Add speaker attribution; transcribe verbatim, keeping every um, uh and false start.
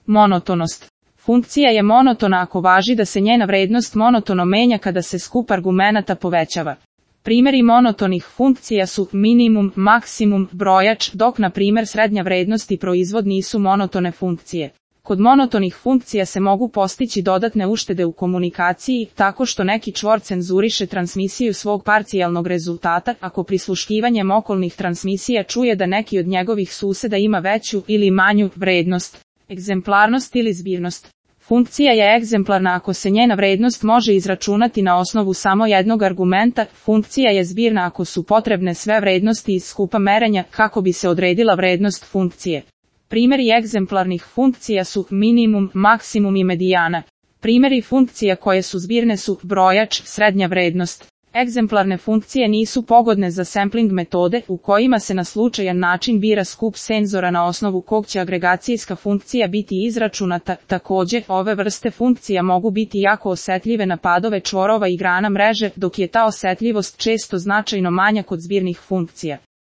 Speaker 1: Monotonost. Funkcija je monotona ako važi da se njena vrednost monotono menja kada se skup argumenata povećava. Primjeri monotonih funkcija su minimum, maksimum, brojač, dok na primjer srednja vrednost i proizvod nisu monotone funkcije. Kod monotonih funkcija se mogu postići dodatne uštede u komunikaciji, tako što neki čvor cenzuriše transmisiju svog parcijalnog rezultata, ako prisluškivanjem okolnih transmisija čuje da neki od njegovih suseda ima veću ili manju vrednost. Egzemplarnost ili zbirnost. Funkcija je egzemplarna ako se njena vrednost može izračunati na osnovu samo jednog argumenta, funkcija je zbirna ako su potrebne sve vrednosti iz skupa merenja kako bi se odredila vrednost funkcije. Primjeri egzemplarnih funkcija su minimum, maksimum i medijana. Primjeri funkcija koje su zbirne su brojač, srednja vrednost. Egzemplarne funkcije nisu pogodne za sampling metode u kojima se na slučajan način bira skup senzora na osnovu kog će agregacijska funkcija biti izračunata. Također, ove vrste funkcija mogu biti jako osjetljive na padove čvorova i grana mreže, dok je ta osjetljivost često značajno manja kod zbirnih funkcija.